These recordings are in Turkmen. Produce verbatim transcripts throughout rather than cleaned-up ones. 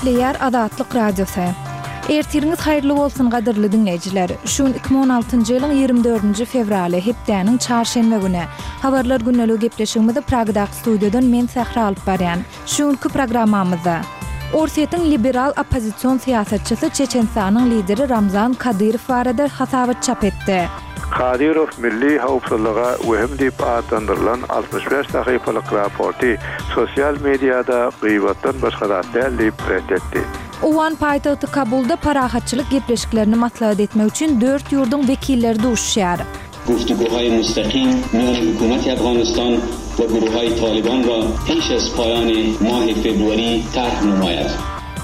Gepleýär Azatlyk Radiosy. Ertiriňiz haýyrly bolsun gadyrly diňleýjiler. Şu gün iki müň on altynjy ýylyň ýigrimi dördünji fewraly, hepdäniň çarşenbe güni. Habarlar gündeligi gepleşigimizi Pragadaky studiýadan men Sähra alyp barýan. Şu günki programmamyzda Orsýetiň liberal oppozision syýasatçysy Çeçenistanyň lideri Ramzan Kadyrow barada hasabat çap etdi. Kadyrow milli howpsuzlyga wehim diýip atlandyrylan altmyş bäş sahypalyk raporty sosial mediada gyýbatdan başga zat däl diýip ret etdi. Owgan paýtagty Kabulda parahatçylyk gepleşiklerini maslahat etmek üçin dört ýurduň wekilleri duşuşýar. Guftuguhaý mustaqim miýany hökümeti Afganistan we guruhaý Taliban ra peş az paýany mahy februari tarh nemaýad.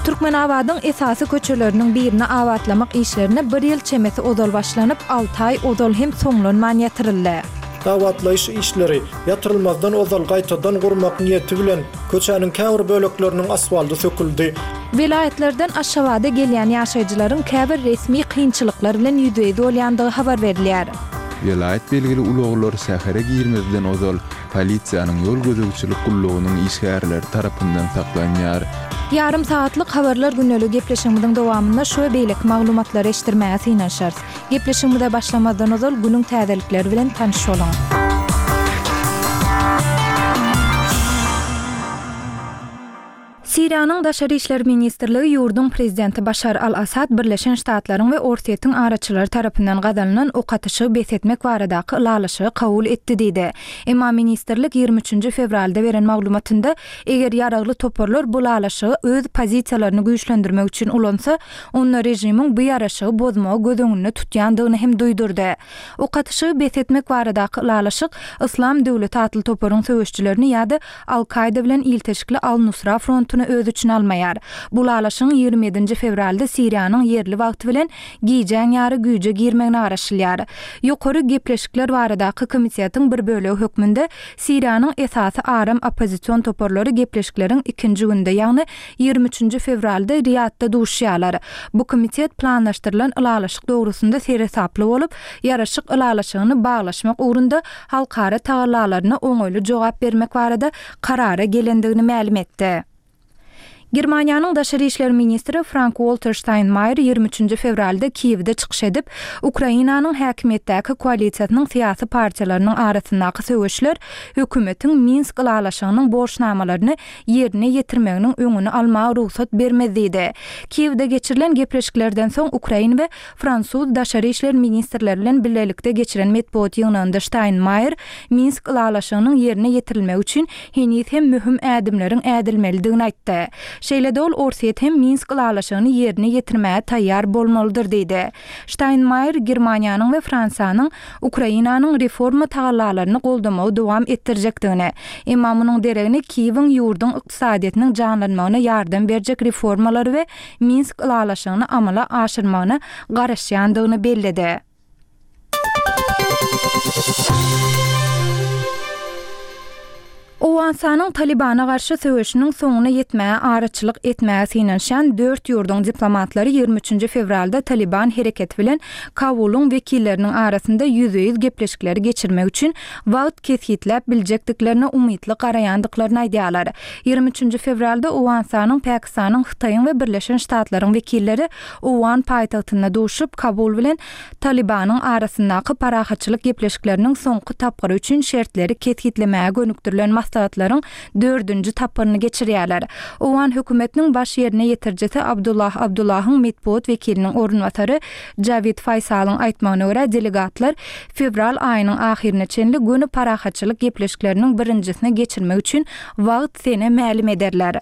Türkmenabadyň esasy köçeleriniň birini abatlamak işlerine bir ýyl çemesi ozal başlanyp, alty aý ozal hem soňlanman ýatyryldy. Abatlaýyş işleri ýatyrylmazdan ozal gaýtadan gurmak niýeti bilen köçäniň käbir bölekleriniň asfaldy söküldi. Welaýatlardan Aşgabada gelýän ýaşaýjylaryň käbir resmi kynçylyklar bilen ýüzbe-ýüz bolýandygy habar berilýär. Welaýat belgili ulaglar şähere girmezden ozal polisiýanyň ýol gözegçilik gullugynyň işgärleri tarapyndan saklanýar. Ýarym sagatlyk habarlar gündeligi gepleşigimiziň dowamynda şu we beýleki maglumatlary eşitdirmäge synanyşarys. Gepleşigimize başlamazdan ozal günüň täzelikleri bilen tanyş boluň. Siriýanyň Daşary işler ministrligi ýurduň prezidenti Başar al-Assad Birleşen Ştatlaryň we Orsýetiň araçylary tarapyndan gazanylan ok atyşygy bes etmek baradaky ylalaşygy kabul etdi diýdi. Emma ministrlik ýigrimi üçünji fewralda beren maglumatynda, eger ýaragly toparlar bu ylalaşygy öz pozisiýalaryny güýçlendirmek üçin ulansa, onda režimiň bu ýaraşygy bozmagy göz öňünde tutýandygyny hem duýdurdy. Ok atyşygy bes etmek baradaky ylalaşyk Yslam döwleti atly toparyň söweşçilerini ýa-da Al-Kaýda bilen ilteşikli Al-Nusra frontuny öz içine almaýar. Bu ylalaşygyň ýigrimi ýedinji fewralda Siriýanyň ýerli wagty bilen gijäň ýary güýje girmegine garaşylýar. Ýokary gepleşikler baradaky komitetiň bir bölegi hökmünde Siriýanyň esasy aram oppozision toparlary gepleşikleriň ikinji günde, ýagny ýigrimi üçünji fewralda Riýadda duşýarlar. Bu komitet planlaşdyrylan ylalaşyk dogrusynda seresaply bolup, ýaraşyk ylalaşygyny baglaşmak ugrunda halkara tagallalaryna oňaýly jogap bermek barada karara gelendigini mälim etdi. Germaniýanyň daşary işler ministri Frank-Walter Steinmeier ýigrimi üçünji fewralda Kiýewde çykyş edip, Ukrainanyň häkimiýetdäki koalisiýasynyň syýasy partiýalarynyň arasyndaky söweşler hökümetiň Minsk ylalaşygynyň borçnamalaryny ýerine ýetirmeginiň öňüni almaga rugsat bermez diýdi. Kiýewde geçirilen gepleşiklerden soň ukrain we fransuz daşary işler ministrleri bilen bilelikde geçiren metbugat ýygnagynda Steinmeier Minsk ylalaşygynyň ýerine ýetirilmegi üçin heniz hem möhüm ädimleriň ädilmelidigini aýtdy. Şeýle-de ol Orsýet hem Minsk ylalaşygyny ýerine ýetirmäge taýýar bolmalydyr diýdi. Steinmeier Germaniýanyň we Fransiýanyň Ukrainanyň reforma tagallalaryny goldamagy dowam etdirjekdigini, emma munuň deregine Kiýewiň ýurduň ykdysadyýetiniň janlanmagyna ýardam berjek reformalary we Minsk ylalaşygyny amala aşyrmagyna garaşýandygyny belledi. Owganystanyň Talibana garşy söweşiniň soňuna ýetmäge araçylyk etmäge synanyşan dört ýurduň diplomatlary ýigrimi üçünji fewralda Taliban hereketi bilen Kabulyň wekilleriniň arasynda ýüzbe-ýüz gepleşikleri geçirmek üçin wagt kesgitläp biljekdiklerine umytly garaýandyklaryny aýdýarlar. Ýigrimi üçünji fewralda Owganystanyň, Pakistanyň, Hytaýyň we Birleşen Ştatlaryň wekilleri Owgan paýtagtynda duşup, Kabul bilen Talibanyň arasyndaky parahatçylyk gepleşikleriniň soňky tapgyry üçin şertleri kesgitlemäge gönükdirilen maslahatlaryň dördünji tapgyryny geçirýärler. Owgan hökümetiniň baş ýerine ýetirijisi Abdullah Abdullahyň metbugat wekiliniň orunbasary Jawid Faýsalyň aýtmagyna görä, delegatlar fewral aýynyň ahyryna çenli göni parahatçylyk gepleşikleriniň birinjisini geçirmek üçin wagt sene mälim ederler.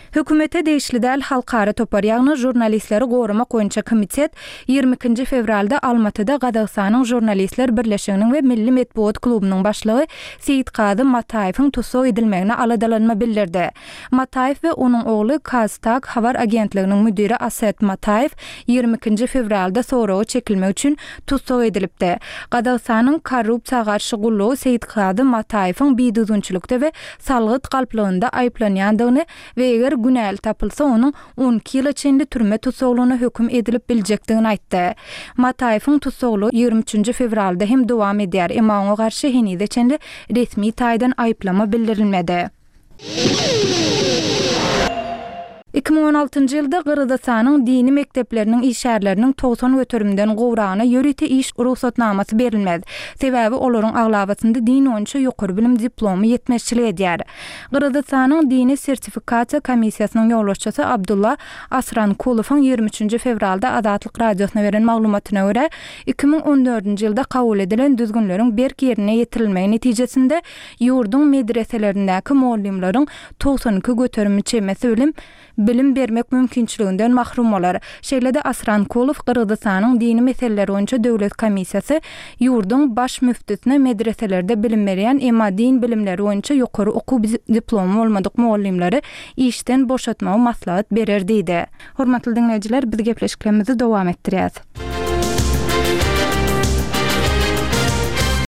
Hökümete degişli däl halkara topar, ýagny žurnalistleri goramak boýunça komitet ýigrimi ikinji fewralda Almatyda Gazagystanyň Žurnalistler birleşiginiň we Milli metbugat klubunyň başlygy Seýitkazy Mataýewiň tussag edilmegine aladalanma bildirdi. Mataýew we onuň ogly KazTAG habar agentliginiň müdiri Aset Mataýew ýigrimi ikinji fewralda soraga çekilmek üçin tussag edilipdi. Gazagystanyň korrupsiýa garşy gullugy Seýitkazy Mataýewiň bidüzgünçilikde we salgyt galplygynda aýyplanýandygyny we eger günäli tapylsa onuň on iki ýyla çenli türme tussaglygyna höküm edilip biljekdigini aýtdy. Mataýewiň tussaglygy ýigrimi üçünji fewralda hem dowam edýär, emma oňa garşy henize çenli resmi taýdan aýyplama bildirilmedi. Iki müň on altynjy ýylda Gyrgyzystanyň dini mekdepleriniň işgärleriniň togsan göterimden gowragyna ýörite iş rugsatnamasy berilmez. Sebäbi olaryň aglabasynda din boýunça ýokary bilim diplomy ýetmezçilik edýär. Gyrgyzystanyň dini sertifikasiýa komissiýasynyň ýolbaşçysy Abdulla Asrankulowyň ýigrimi üçünji fewralda Azatlyk Radiosyna beren maglumatyna görä, iki müň on dördünji ýylda kabul edilen düzgünleriň berk ýerine ýetirilmegi netijesinde ýurduň medreselerindäki mugallymlaryň togsan iki göterimi çemesi bilim bilim bermek mümkinçiliginden mahrum bolar. Şeýle-de Asrankulow Gyrgyzystanyň dini meseleler boýunça döwlet komissiýasy ýurduň baş müftüsine medreselerde bilim berýän, emma din bilimleri boýunça ýokary okuw diplomy bolmadyk mugallymlary işden boşatmagy maslahat berer diýdi. Hormatly diňleýjiler, biz gepleşiklerimizi dowam etdirýäs.